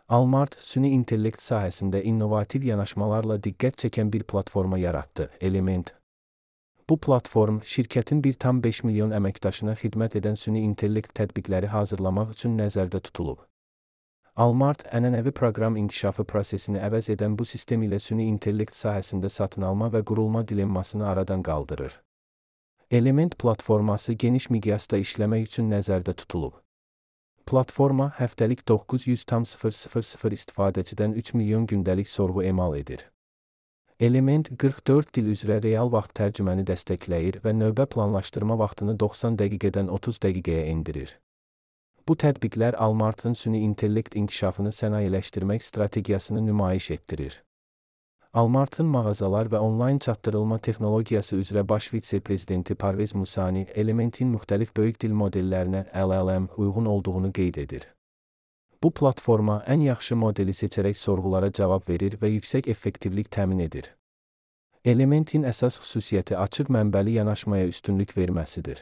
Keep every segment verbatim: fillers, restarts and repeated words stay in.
Almart, süni intellekt sahəsində innovativ yanaşmalarla diqqət çəkən bir platforma yaratdı, Element. Bu platform, şirkətin bir tam beş milyon əməkdaşına xidmət edən süni intellekt tətbiqləri hazırlamaq üçün nəzərdə tutulub. Almart, ənənəvi proqram inkişafı prosesini əvəz edən bu sistem ilə süni intellekt sahəsində satın alma və qurulma dilemmasını aradan qaldırır. Element platforması geniş miqyasda işləmək üçün nəzərdə tutulub. Platforma həftəlik doqquz yüz min istifadəçidən üç milyon gündəlik sorğu emal edir. Element qırx dörd dil üzrə real vaxt tərcüməni dəstəkləyir və növbə planlaşdırma vaxtını doxsan dəqiqədən otuz dəqiqəyə endirir. Bu tətbiqlər Almartın süni intellekt inkişafını sənayeləşdirmək strategiyasını nümayiş etdirir. Almartın mağazalar və onlayn çatdırılma texnologiyası üzrə baş vitse-prezidenti Parvez Musani, Elementin müxtəlif böyük dil modellərinə L L M uyğun olduğunu qeyd edir. Bu platforma ən yaxşı modeli seçərək sorğulara cavab verir və yüksək effektivlik təmin edir. Elementin əsas xüsusiyyəti açıq mənbəli yanaşmaya üstünlük verməsidir.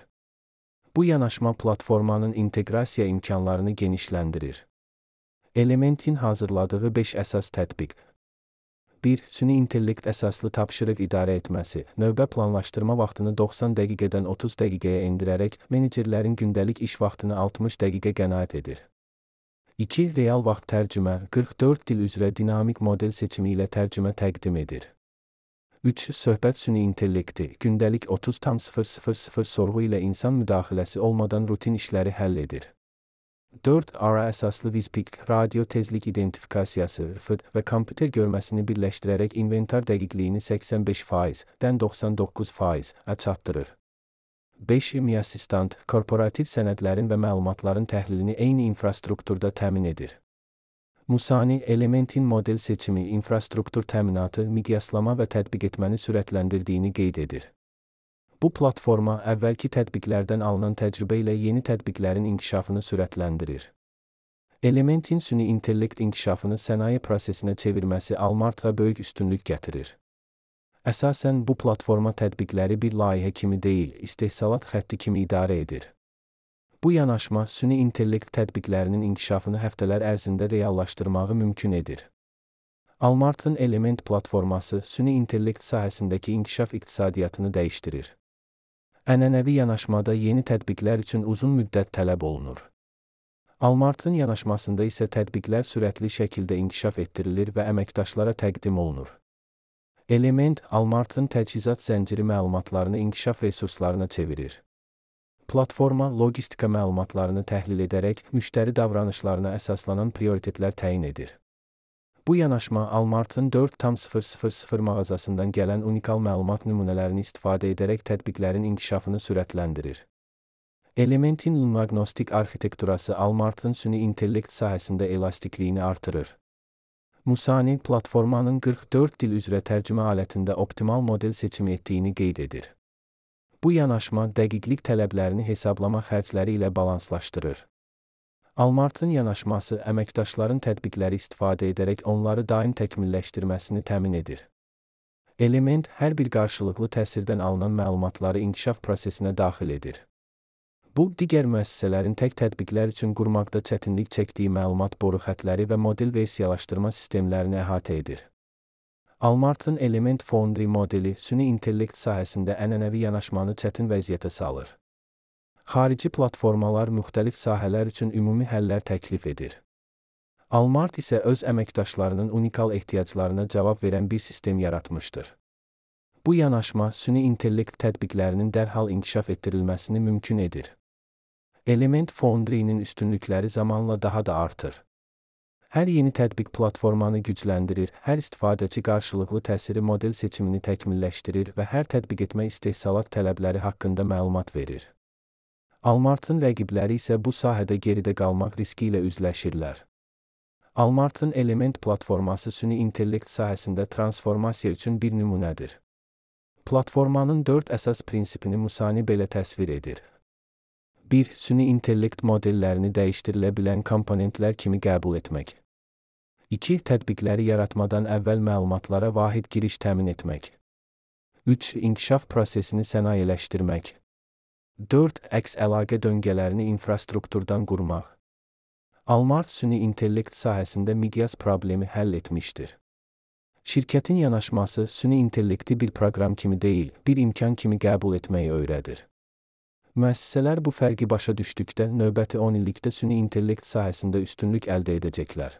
Bu yanaşma platformanın inteqrasiya imkanlarını genişləndirir. Elementin hazırladığı beş əsas tətbiq. bir. Süni intellekt əsaslı tapşırıq idarə etməsi, növbə planlaşdırma vaxtını doxsan dəqiqədən otuz dəqiqəyə endirərək menecerlərin gündəlik iş vaxtını altmış dəqiqə qənaət edir. iki. Real vaxt tərcümə, qırx dörd dil üzrə dinamik model seçimi ilə tərcümə təqdim edir. üç. Söhbət süni intellekti, gündəlik otuz min sorğu ilə insan müdaxiləsi olmadan rutin işləri həll edir. dörd. R A əsaslı Vizpik, radio tezlik identifikasiyası R F D və kompüter görməsini birləşdirərək inventar dəqiqliyini səksən beş faizdən doxsan doqquz faiz-ə çatdırır. beş. Mi Assistant, korporativ sənədlərin və məlumatların təhlilini eyni infrastrukturda təmin edir. Musani, Elementin model seçimi, infrastruktur təminatı, miqyaslama və tətbiq etməni sürətləndirdiyini qeyd edir. Bu platforma əvvəlki tətbiqlərdən alınan təcrübə ilə yeni tətbiqlərin inkişafını sürətləndirir. Elementin süni intellekt inkişafını sənaye prosesinə çevirməsi Almart'a böyük üstünlük gətirir. Əsasən bu platforma tətbiqləri bir layihə kimi deyil, istehsalat xətti kimi idarə edir. Bu yanaşma süni intellekt tətbiqlərinin inkişafını həftələr ərzində reallaşdırmağı mümkün edir. Almartın Element platforması süni intellekt sahəsindəki inkişaf iqtisadiyyatını dəyişdirir. Ənənəvi yanaşmada yeni tətbiqlər üçün uzun müddət tələb olunur. Almartın yanaşmasında isə tətbiqlər sürətli şəkildə inkişaf etdirilir və əməkdaşlara təqdim olunur. Element, Almartın təchizat zənciri məlumatlarını inkişaf resurslarına çevirir. Platforma, logistika məlumatlarını təhlil edərək, müştəri davranışlarına əsaslanan prioritetlər təyin edir. Bu yanaşma Almartın dörd min mağazasından gələn unikal məlumat nümunələrini istifadə edərək tətbiqlərin inkişafını sürətləndirir. Elementin ünvagnostik arxitekturası Almartın süni intellekt sahəsində elastikliyini artırır. Musani, platformanın qırx dörd dil üzrə tərcümə alətində optimal model seçimi etdiyini qeyd edir. Bu yanaşma dəqiqlik tələblərini hesablama xərcləri ilə balanslaşdırır. Almartın yanaşması əməkdaşların tətbiqləri istifadə edərək onları daim təkmilləşdirməsini təmin edir. Element hər bir qarşılıqlı təsirdən alınan məlumatları inkişaf prosesinə daxil edir. Bu, digər müəssisələrin tək tətbiqlər üçün qurmaqda çətinlik çəkdiyi məlumat boru xətləri və model versiyalaşdırma sistemlərini əhatə edir. Almartın Element Foundry modeli süni intellekt sahəsində ənənəvi yanaşmanı çətin vəziyyətə salır. Xarici platformalar müxtəlif sahələr üçün ümumi həllər təklif edir. Almart isə öz əməkdaşlarının unikal ehtiyaclarına cavab verən bir sistem yaratmışdır. Bu yanaşma süni intellekt tətbiqlərinin dərhal inkişaf etdirilməsini mümkün edir. Element Foundry-nin üstünlükləri zamanla daha da artır. Hər yeni tətbiq platformanı gücləndirir, hər istifadəçi qarşılıqlı təsiri model seçimini təkmilləşdirir və hər tətbiq etmə istehsalat tələbləri haqqında məlumat verir. Almartın rəqibləri isə bu sahədə geridə qalmaq riski ilə üzləşirlər. Almartın Element platforması süni intellekt sahəsində transformasiya üçün bir nümunədir. Platformanın dörd əsas prinsipini Musani belə təsvir edir. bir. Süni intellekt modellərini dəyişdirilə bilən komponentlər kimi qəbul etmək. iki. Tətbiqləri yaratmadan əvvəl məlumatlara vahid giriş təmin etmək. üç. İnkişaf prosesini sənayeləşdirmək. dörd. Əks əlaqə döngələrini infrastrukturdan qurmaq. Almart süni intellekt sahəsində miqyas problemi həll etmişdir. Şirkətin yanaşması süni intellekti bir proqram kimi deyil, bir imkan kimi qəbul etməyi öyrədir. Müəssisələr bu fərqi başa düşdükdə növbəti on illikdə süni intellekt sahəsində üstünlük əldə edəcəklər.